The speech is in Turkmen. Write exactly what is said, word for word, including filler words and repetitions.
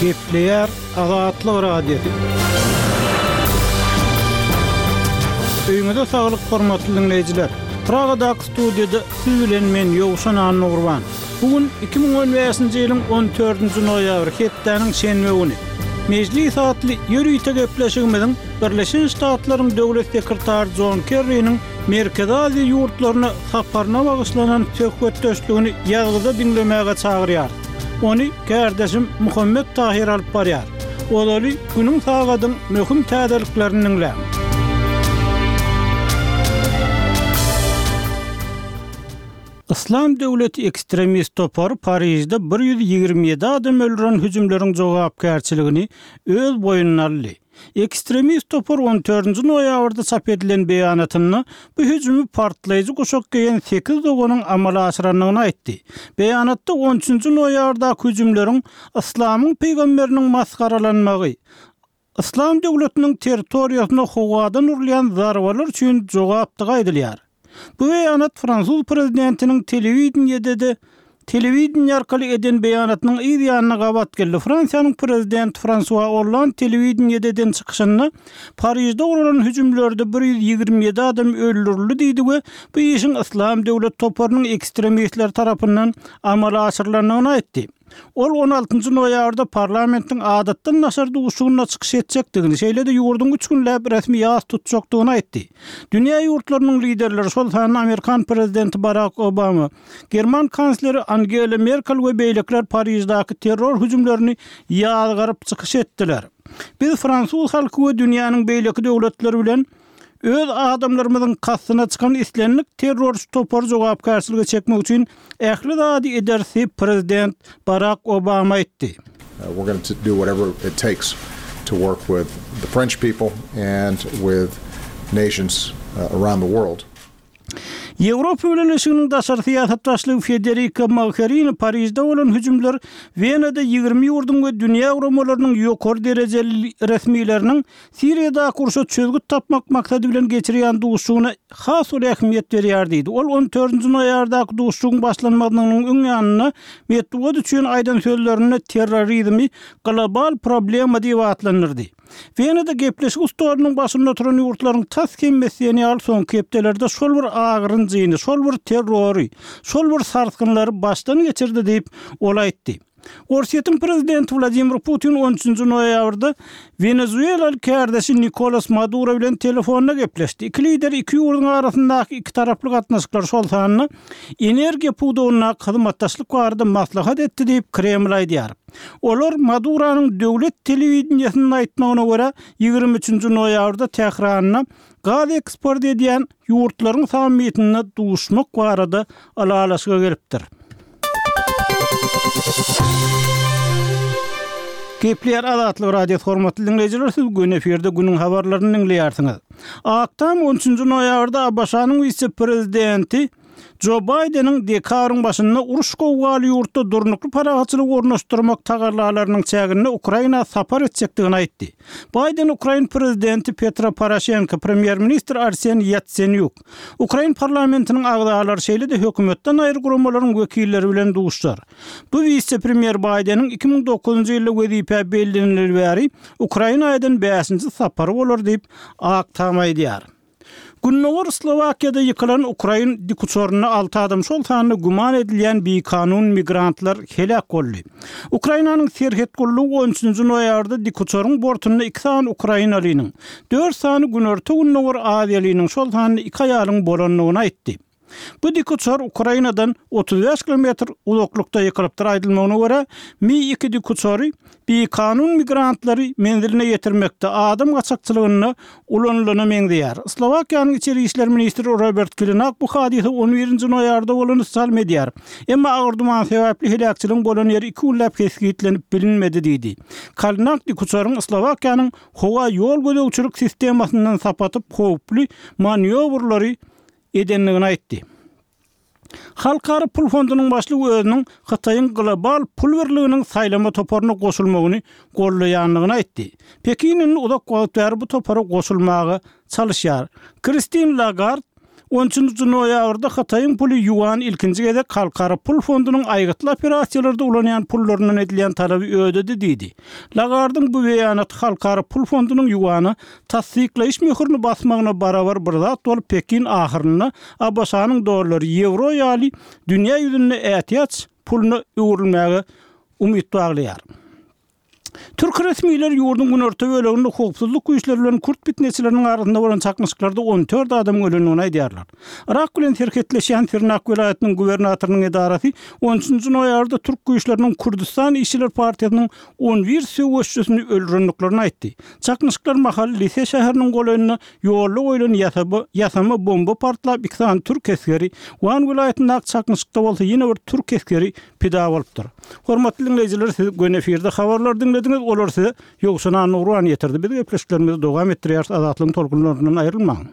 Gepleýär Azatlyk Radiosy. Öýüňize saglyk hormatly diňleýjiler. Pragadaky studiýada siz bilen men Ýowşan Annagurban. Bu gün iki müň on bäşinji ýylyň on dördünji noýabry hepdäniň şenbe güni. Mejlis atly ýörite gepleşigimiziň Birleşen Ştatlaryň Döwlet sekretary Jon Kerriniň Merkezi Aziýa ýurtlaryna saparyna bagyşlanan söhbetdeşligini ýazgyda diňlemäge çagyrýar. Ony kärdeşim Muhammet Tahir alyp barýar. Ozaly günüň sagadyň möhüm täzeliklerini diňläň. Yslam döwleti ekstremist topary Parižde bir ýüz ýigrimi ýedi adam öldüren hüjümleriň jogapkärçiligini öz boýnuna aldy. Ekstremist topar on dördünji noýabrda çap edilen beýanatynda bu hüjümi partlaýjy guşak geýen sekiz doganyň amala aşyrandygyny aýtdy. Beýanatda on üçünji noýabrdaky hüjümleriň Yslamyň pygamberiniň masgaralanmagy, Yslam döwletiniň territoriýasyna howadan urulýan zarbalar üçin jogapdygy aýdylýar. Bu beýanat fransuz prezidentiniň telewideniýede telewideniýe arkaly eden beýanatynyň yz ýanyna gabat geldi. Fransiýanyň prezidenti Fransua Hollande telewideniýede eden çykyşynda Parižde guralan hüjümlerde bir ýüz ýigrimi ýedi adam öldürildi diýdi we bu işiň Yslam döwlet toparynyň ekstremistleri tarapyndan amala aşyrylandygyny aýtdy. Ol on altynjy noýabrda parlamentiň adatdan daşary duşuşygyna çykyş etjekdigini, şeýle-de ýurduň üç günläp resmi ýas tutjakdygyny aýtdy. Dünýä ýurtlarynyň liderleri, şol sanda Amerikan prezidenti Barack Obama, German kansleri Angela Merkel we beýlekiler Pariždäki terror hüjümlerini ýazgaryp çykyş etdiler. Biz fransuz halky we dünýäniň beýleki döwletleri bilen öz adamlarymyzyň kastyna çykan islendik terrorist topary jogapkärçilige çekmek üçin ähli zady ederis diýip prezident Barack Obama aýtdy. We're going to do whatever it takes to work with the French people and with nations around the world. Ýewropa Bileleşiginiň daşary syýasat başlygy Federica Mogherini Parižde bolan hüjümler Wenada ýigrimi ýurduň we dünýä guramalarynyň ýokary derejeli resmileriniň Siriýadaky urşa çözgüt tapmak maksady bilen geçirýän duşuşygyna has uly ähmiýet berýär diýdi. Ol on dördünji noýabrdaky duşuşygyň başlanmagynyň öň ýanynda metbugat üçin aýdan sözlerinde terrorizmi global problema diýip atlandyrdy. Wenada gepleşik stolunyň başynda oturan ýurtlaryň tas hemmesi diýen ýaly soňky hepdelerde şol bir agyrynjyny, şol bir terrory, şol bir sarsgynlary başdan geçirdi diýip ol aýtdy. Orsýetiň prezidenti Wladimir Putin on üçünji noýabrda Wenezuelaly kärdeşi Nikolas Maduro bilen telefonda gepleşdi. Iki lider iki ýurduň arasyndaky iki taraply gatnaşyklar, şol sanda energiýa pudagyndaky hyzmatdaşlyk barada maslahat etdi diýip Kreml aýdýar. Olar Maduronyň döwlet telewideniýesiniň aýtmagyna görä ýigrimi üçünji noýabrda Tähranda gaz eksport edýän ýurtlaryň sammitinde duşmak barada ylalaşyga gelipdir. Gepleýär Azatlyk Radiosy hormatly dinleýjiler, siz gün efirde günüň habarlaryny dinleýärsiňiz. Ak Tam on üçünji noýabrda A B Ş-nyň wise-prezidenti Jo Baýdeniň dekabryň başynda uruş gowgaly ýurtda durnukly parahatçylygy ornaşdyrmak tagallalarynyň çäginde Ukraina sapar etjekdigini aýtdy. Baýden Ukrain prezidenti Petro Poroşenko, premýer-ministr Arsen Ýatsenýuk, Ukrain parlamentiniň agzalary şeýle-de hökümetden aýry guramalaryň wekilleri bilen duşuşar. Bu wise-premýer Baýdeniň iki müň dokuzynjy ýylda wezipä bellenileli bäri Ukraina eden bäşinji sapary bolar diýip Ak Tam aýdýar. Gündogar Slowakiýada ýykylan Ukrain dikuçarynda alty adam, şol sanda güman edilýän bikanun migrantlar heläk boldy. Ukrainanyň serhet gullugy on üçünji noýabrda dikuçaryň bortunda iki sany ukrainalynyň, dört sany günorta-gündogar Aziýalynyň, şol sanda iki aýalyň bolandygyny aýtdy. Bu dikuçar Ukrainadan otuz bäş kilometr uzaklykda ýykylypdyr. Aýdylmagyna görä, Mi iki dikuçary bikanun migrantlary menziline ýetirmekde adam gaçakçylygynda ulanylana meňzeýär. Slowakiýanyň içeri işler ministri Robert Kalinak bu hadysa on birinji noýabrda bolany salm edýär. Emma agyr duman sebäpli heläkçiligiň bolan ýeri iki günläp kesgitlenip bilinmedi diýdi. Kalinak dikuçaryň Slowakiýanyň howa ýol gözegçilik sistemasyndan sapatyp howply manýowrlary edendigini aýtdy. Halkara pul fondunyň başlygy özüniň Hytaýyň global pul birliginiň saýlama toparyna goşulmagyny gollaýandygyny aýtdy. Pekin indi uzak wagt bäri bu topara goşulmaga çalışýar. Kristin Lagarde On üçünji noýabrda Hytaýyň puly ýuan ilkinji gezek Halkara pul fondunyň aýgytly operasiýalarda ulanýan pullaryndan edilýän talaby ödedi diýdi. Lagardyň bu beýanaty Halkara pul fondunyň ýuana tassyklaýyş möhürini basmagyna barabar bir zat bolup, Pekin ahyrynda ABŞ-nyň dollary, ýewro ýaly dünýä ýüzünde ätiýaç puluna öwrülmäge umyt baglaýar. Türk resmileri ýurduň günorta böleginde howpsuzlyk güýçleri bilen kürt pitneçileriniň arasynda bolan çaknyşyklarda on dört adamyň ölendigini aýdýarlar. Yrak bilen serhetleşýän Sirnak welaýatynyň gubernatorynyň edarasy on üçünji noýabrda türk güýçleriniň Kürdüstan işçiler partiýasynyň on bir söweşçisini öldürendiklerini aýtdy. Çaknyşyklar mahaly Lise şäheriniň golaýynda ýolda goýlan ýasama bomba partlap iki sany türk esgeri, Wan welaýatyndaky çaknyşykda bolsa ýene bir türk esgeri pida bolupdyr. Hormatly diňleýjiler, siz göni efirde habarlary diňlediňiz, olar size Ýowşan Annagurban ýetirdi. Biz gepleşiklerimizi dowam etdirýäris, Azatlygyň tolkunlaryndan aýrylmaň.